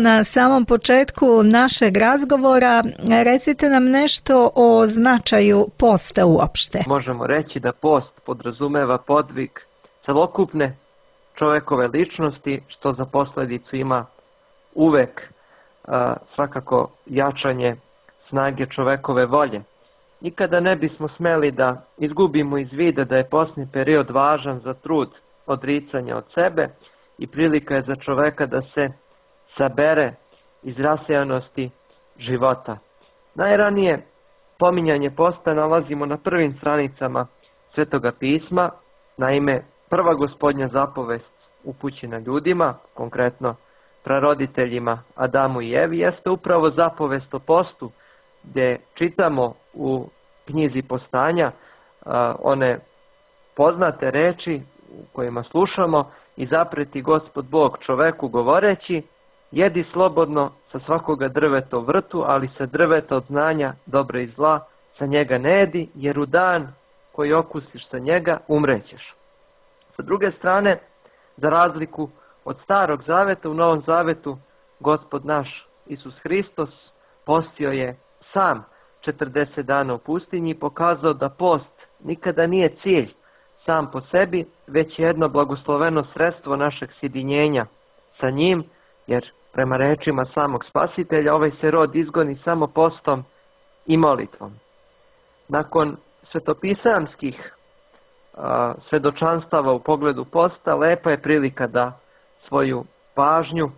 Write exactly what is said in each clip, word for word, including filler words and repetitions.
Na samom početku našeg razgovora recite nam nešto o značaju posta uopšte. Možemo reći da post podrazumeva podvig celokupne čovekove ličnosti, što za posledicu ima uvek a, svakako jačanje snage čovekove volje. Nikada ne bismo smeli da izgubimo iz vida da je postni period važan za trud odricanja od sebe i prilika je za čoveka da se sabere iz rasejanosti života. Najranije pominjanje posta nalazimo na prvim stranicama Svetoga pisma. Naime, prva gospodnja zapovest upućena ljudima, konkretno praroditeljima Adamu i Evi, jeste upravo zapovest o postu, gdje čitamo u knjizi Postanja a, one poznate reči u kojima slušamo: i zapreti Gospod Bog čoveku govoreći, jedi slobodno sa svakoga drveta u vrtu, ali sa drveta od znanja dobra i zla sa njega ne jedi, jer u dan koji okusiš sa njega umrećeš. Sa druge strane, za razliku od Starog zaveta, u Novom zavetu Gospod naš Isus Hristos postio je sam četrdeset dana u pustinji i pokazao da post nikada nije cilj sam po sebi, već jedno blagosloveno sredstvo našeg sjedinjenja sa njim, jer prema rečima samog Spasitelja ovaj se rod izgoni samo postom i molitvom. Nakon svetopisamskih a, svedočanstava u pogledu posta, lepa je prilika da svoju pažnju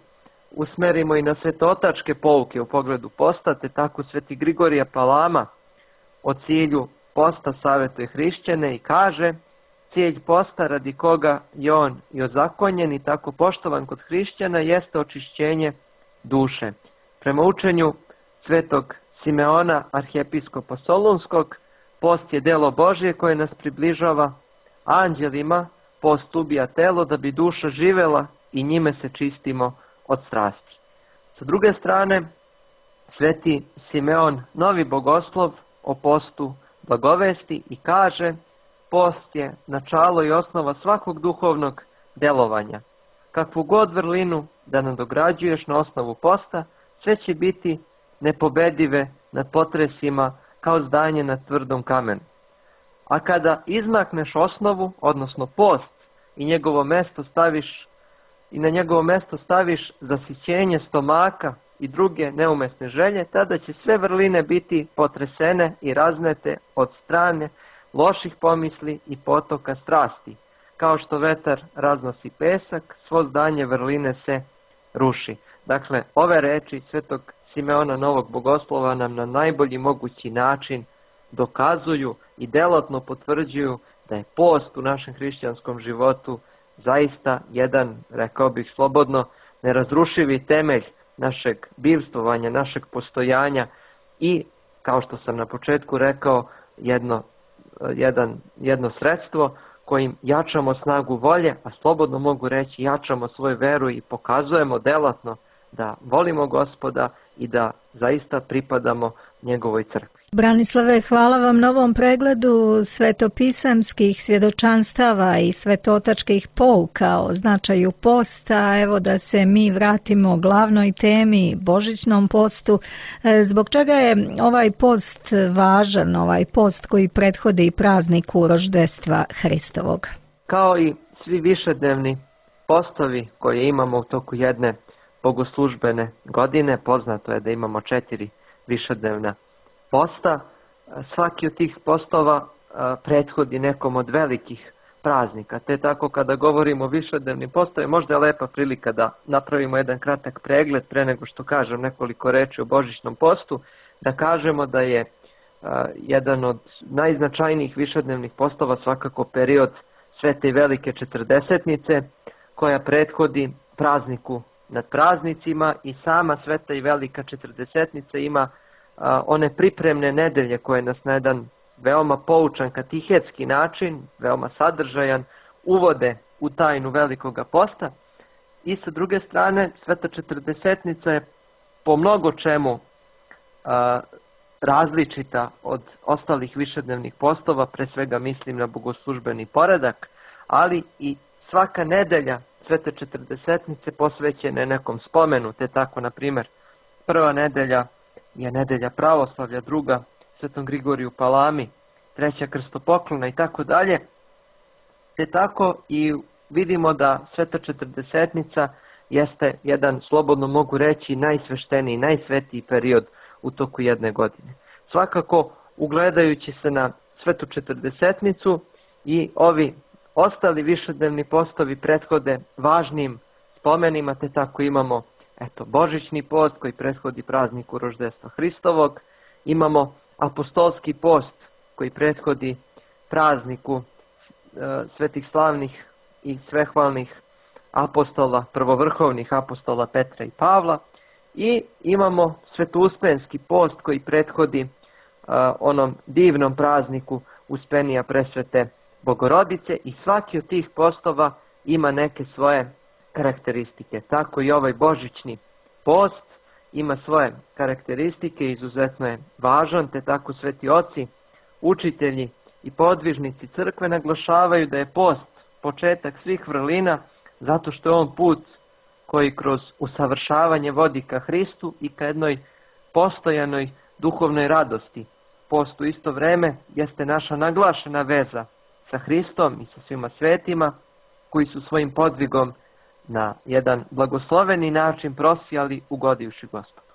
usmerimo i na svetotačke pouke u pogledu posta, te tako Sveti Grigorije Palama o cilju posta savjetuje hrišćane i kaže: cilj posta radi koga je on i ozakonjen i tako poštovan kod hrišćana jeste očišćenje duše. Prema učenju Svetog Simeona, arhijepiskopa Solunskog, post je delo Božje koje nas približava anđelima, post ubija telo da bi duša živela i njime se čistimo od strasti. Sa druge strane, Sveti Simeon, novi bogoslov, o postu blagovesti i kaže: post je načalo i osnova svakog duhovnog delovanja. Kakvu god vrlinu da nadograđuješ na osnovu posta, sve će biti nepobedive nad potresima kao zdanje na tvrdom kamenu. A kada izmakneš osnovu, odnosno post, i njegovo mesto staviš i na njegovo mesto staviš zasićenje stomaka i druge neumesne želje, tada će sve vrline biti potresene i raznete od strane loših pomisli i potoka strasti. Kao što vetar raznosi pesak, svo zdanje vrline se ruši. Dakle, ove reči Svetog Simeona Novog Bogoslova nam na najbolji mogući način dokazuju i delotno potvrđuju da je post u našem hrišćanskom životu zaista jedan, rekao bih slobodno, nerazrušivi temelj našeg bivstvovanja, našeg postojanja i, kao što sam na početku rekao, jedno, jedan, jedno sredstvo kojim jačamo snagu volje, a slobodno mogu reći jačamo svoju veru i pokazujemo delatno da volimo Gospoda i da zaista pripadamo njegovoj crkvi. Branislave, hvala vam na ovom pregledu svetopisamskih svjedočanstava i svetotačkih pouka o značaju posta. Evo da se mi vratimo glavnoj temi, božićnom postu. Zbog čega je ovaj post važan, ovaj post koji prethodi prazniku roždestva Hristovog? Kao i svi višednevni postovi koje imamo u toku jedne bogoslužbene godine, poznato je da imamo četiri višednevna posta. Svaki od tih postova prethodi nekom od velikih praznika. Te tako kada govorimo o višednevnim postovima, možda je lepa prilika da napravimo jedan kratak pregled pre nego što kažem nekoliko reči o božićnom postu, da kažemo da je jedan od najznačajnijih višednevnih postova svakako period Svete i Velike Četrdesetnice, koja prethodi prazniku nad praznicima, i sama Sveta i Velika Četrdesetnica ima a, one pripremne nedelje koje nas na jedan veoma poučan katehetski način, veoma sadržajan, uvode u tajnu Velikoga posta. I sa druge strane, Sveta Četrdesetnica je po mnogo čemu a, različita od ostalih višednevnih postova, pre svega mislim na bogoslužbeni poredak, ali i svaka nedelja Svete četrdesetnice posvećene nekom spomenu, te tako, na primjer, prva nedelja je nedelja pravoslavlja, druga Svetom Grigoriju Palami, treća krstopoklona i tako dalje. Te tako i vidimo da Sveta četrdesetnica jeste jedan, slobodno mogu reći, najsvešteniji, najsvetiji period u toku jedne godine. Svakako, ugledajući se na Svetu četrdesetnicu, i ovi ostali višednevni postovi prethode važnim spomenima, te tako imamo eto, Božićni post koji prethodi prazniku roždestva Hristovog, imamo apostolski post koji prethodi prazniku e, svetih slavnih i svehvalnih apostola, prvovrhovnih apostola Petra i Pavla, i imamo Svetouspenski post koji prethodi e, onom divnom prazniku Uspenija presvete Bogorodice, i svaki od tih postova ima neke svoje karakteristike. Tako i ovaj božićni post ima svoje karakteristike, izuzetno je važan, te tako sveti oci, učitelji i podvižnici crkve naglašavaju da je post početak svih vrlina, zato što je on put koji kroz usavršavanje vodi ka Hristu i ka jednoj postojanoj duhovnoj radosti. Post u isto vreme jeste naša naglašena veza sa Hristom i sa svima svetima koji su svojim podvigom na jedan blagosloveni način prosijali ugodivši Gospodu.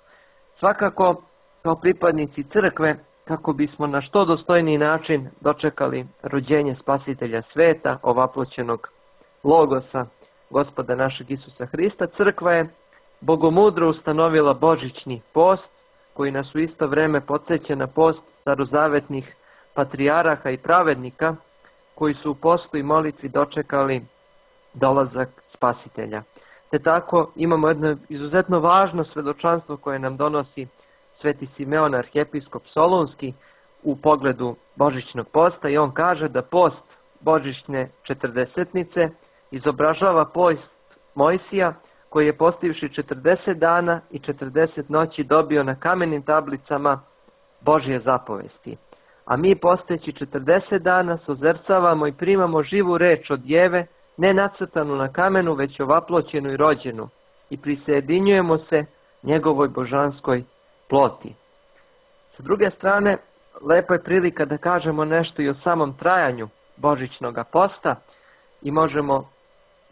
Svakako, kao pripadnici crkve, kako bismo na što dostojniji način dočekali rođenje Spasitelja sveta, ovaploćenog Logosa, Gospoda našeg Isusa Hrista, crkva je bogomudro ustanovila božićni post, koji nas u isto vreme podsjeća na post starozavetnih patrijaraha i pravednika, koji su u postu i molitvi dočekali dolazak Spasitelja. Te tako imamo jedno izuzetno važno svedočanstvo koje nam donosi sveti Simeon, arhijepiskop Solunski, u pogledu božićnog posta, i on kaže da post božićne četrdesetnice izobražava post Mojsija, koji je postivši četrdeset dana i četrdeset noći dobio na kamenim tablicama Božje zapovesti. A mi posteći četrdeset dana sozercavamo i primamo živu reč od Djeve, ne nacrtanu na kamenu, već ovaploćenu i rođenu, i prisjedinjujemo se njegovoj božanskoj ploti. Sa druge strane, lepo je prilika da kažemo nešto i o samom trajanju božićnog posta, i možemo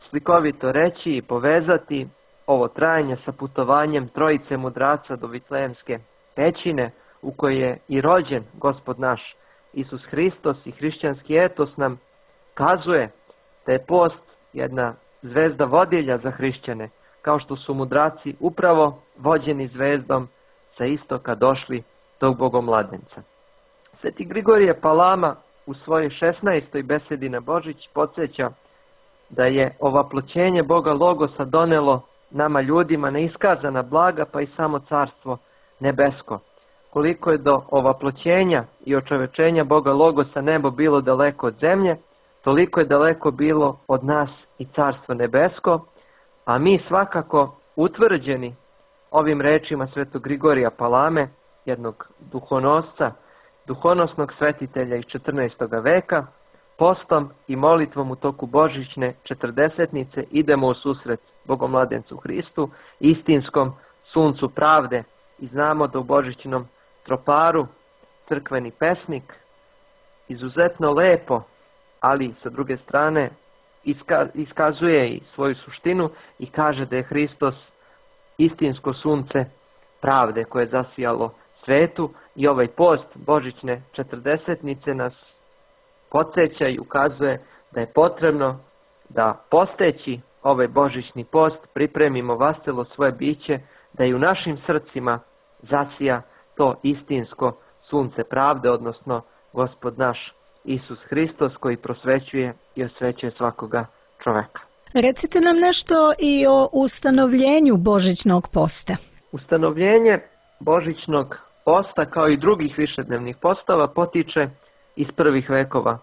slikovito reći i povezati ovo trajanje sa putovanjem trojice mudraca do Vitlejemske pećine, u kojoj je i rođen Gospod naš Isus Hristos, i hrišćanski etos nam kazuje da je post jedna zvezda vodilja za hrišćane, kao što su mudraci upravo vođeni zvezdom sa istoka došli tog bogomladenca. Sveti Grigorije Palama u svojoj šesnaestoj besedi na Božić podsjeća da je ovaploćenje Boga Logosa donelo nama ljudima neiskazana blaga, pa i samo carstvo nebesko. Koliko je do ovaploćenja i očovečenja Boga Logosa nebo bilo daleko od zemlje, toliko je daleko bilo od nas i carstvo nebesko, a mi svakako utvrđeni ovim rečima svetog Grigorija Palame, jednog duhonosca, duhonosnog svetitelja iz četrnaestog veka, postom i molitvom u toku božićne četrdesetnice idemo u susret Bogomladencu Hristu, istinskom suncu pravde, i znamo da u božićnom troparu crkveni pesnik izuzetno lepo, ali sa druge strane iskazuje i svoju suštinu i kaže da je Hristos istinsko sunce pravde koje je zasijalo svetu, i ovaj post božićne četrdesetnice nas podsjeća i ukazuje da je potrebno da posteći ovaj božićni post pripremimo vaselo svoje biće, da i u našim srcima zasija to istinsko sunce pravde, odnosno Gospod naš Isus Hristos, koji prosvećuje i osvećuje svakoga čoveka. Recite nam nešto i o ustanovljenju božićnog posta. Ustanovljenje božićnog posta, kao i drugih višednevnih postava, potiče iz prvih vekova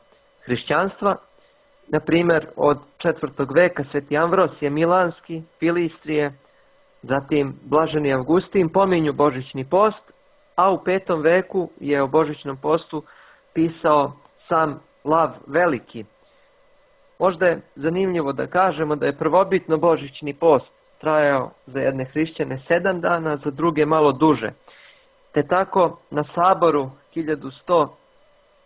hrišćanstva. Na primjer, od četvrtog veka sveti Amvrosije Milanski, Filistrije, zatim Blaženi Avgustin pominju božićni post, a u petom veku je o božićnom postu pisao sam Lav Veliki. Možda je zanimljivo da kažemo da je prvobitno božićni post trajao za jedne hrišćane sedam dana, za druge malo duže. Te tako na saboru hiljadu sto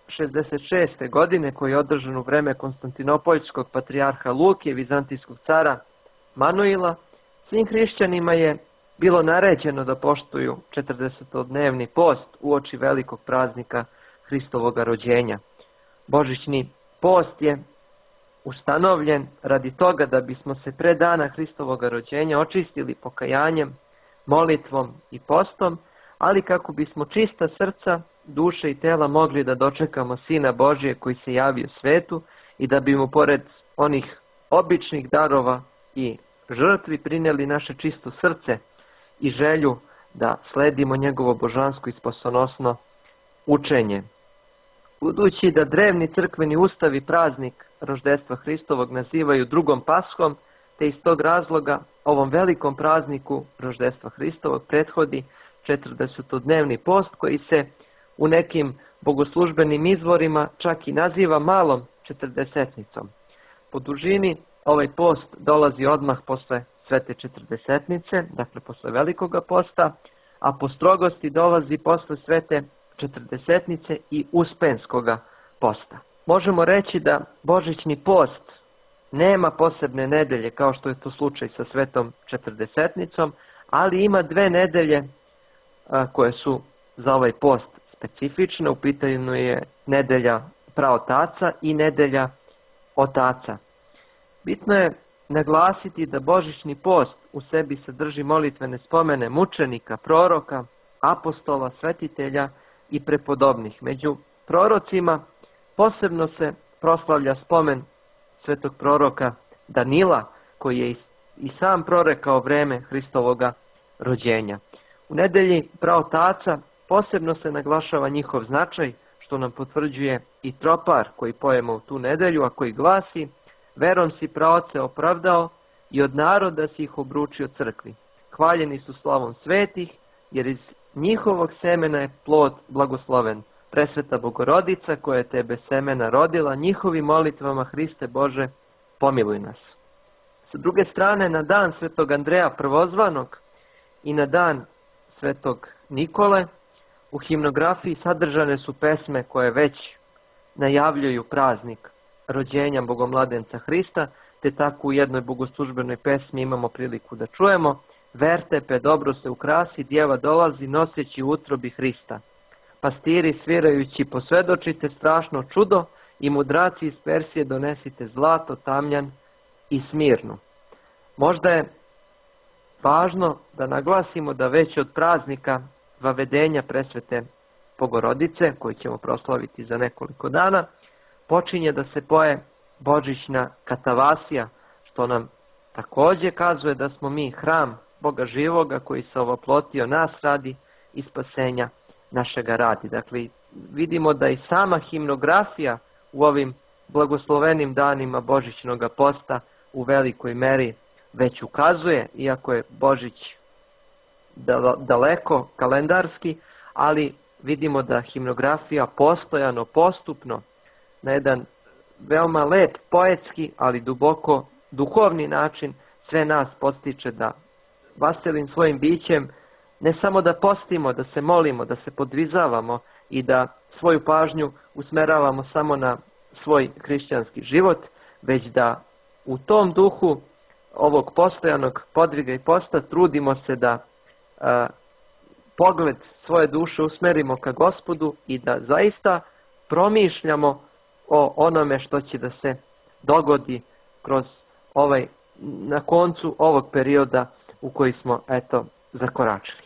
šezdeset šeste. godine, koji je održan u vreme Konstantinopoljskog patrijarha Luke, vizantijskog cara Manuila, svim hrišćanima je bilo naređeno da poštuju četrdesetodnevni post uoči velikog praznika Hristovoga rođenja. Božićni post je ustanovljen radi toga da bismo se pre dana Hristovoga rođenja očistili pokajanjem, molitvom i postom, ali kako bismo čista srca, duše i tela mogli da dočekamo Sina Božije koji se javio svetu i da bi mu pored onih običnih darova i žrtvi prinijeli naše čisto srce i želju da sledimo njegovo božansko i spasonosno učenje. Budući da drevni crkveni ustavi praznik roždestva Hristovog nazivaju drugom Paschom, te iz tog razloga ovom velikom prazniku roždestva Hristovog prethodi četrdesetodnevni post koji se u nekim bogoslužbenim izvorima čak i naziva malom četrdesetnicom. Po dužini ovaj post dolazi odmah posle svete četrdesetnice, dakle posle velikoga posta, a po strogosti dolazi posle svete četrdesetnice i uspenskoga posta. Možemo reći da božićni post nema posebne nedelje kao što je to slučaj sa svetom četrdesetnicom, ali ima dve nedelje a, koje su za ovaj post specifične. U pitanju je nedelja praotaca i nedelja otaca. Bitno je naglasiti da božićni post u sebi sadrži molitvene spomene mučenika, proroka, apostola, svetitelja i prepodobnih. Među prorocima posebno se proslavlja spomen svetog proroka Danila, koji je i sam prorekao vreme Hristovoga rođenja. U nedelji praotaca posebno se naglašava njihov značaj, što nam potvrđuje i tropar koji pojemo u tu nedelju, a koji glasi: verom si praoce opravdao i od naroda si ih obručio crkvi. Hvaljeni su slavom svetih, jer iz njihovog semena je plod blagosloven. Presveta Bogorodica koja je tebe semena rodila, njihovim molitvama Hriste Bože, pomiluj nas. Sa druge strane, na dan svetog Andreja Prvozvanog i na dan svetog Nikole u himnografiji sadržane su pesme koje već najavljuju praznik rođenja Bogomladenca Hrista, te tako u jednoj bogoslužbenoj pesmi imamo priliku da čujemo: vertepe, dobro se ukrasi, djeva dolazi noseći u utrobi Hrista. Pastiri svirajući posvedočite strašno čudo i mudraci iz Persije donesite zlato, tamjan i smirnu. Možda je važno da naglasimo da već od praznika vavedenja presvete Bogorodice, koji ćemo proslaviti za nekoliko dana, počinje da se poje božićna katavasija, što nam također kazuje da smo mi hram Boga živoga koji se ovoplotio nas radi i spasenja našega radi. Dakle, vidimo da i sama himnografija u ovim blagoslovenim danima božićnog posta u velikoj meri već ukazuje, iako je Božić daleko kalendarski, ali vidimo da himnografija postojano, postupno, na jedan veoma lep, poetski, ali duboko duhovni način sve nas postiče da vaselim svojim bićem ne samo da postimo, da se molimo, da se podvizavamo i da svoju pažnju usmeravamo samo na svoj hrišćanski život, već da u tom duhu ovog postojanog podviga i posta trudimo se da a, pogled svoje duše usmerimo ka Gospodu i da zaista promišljamo o onome što će da se dogodi kroz ovaj, na koncu ovog perioda u koji smo eto zakoračili.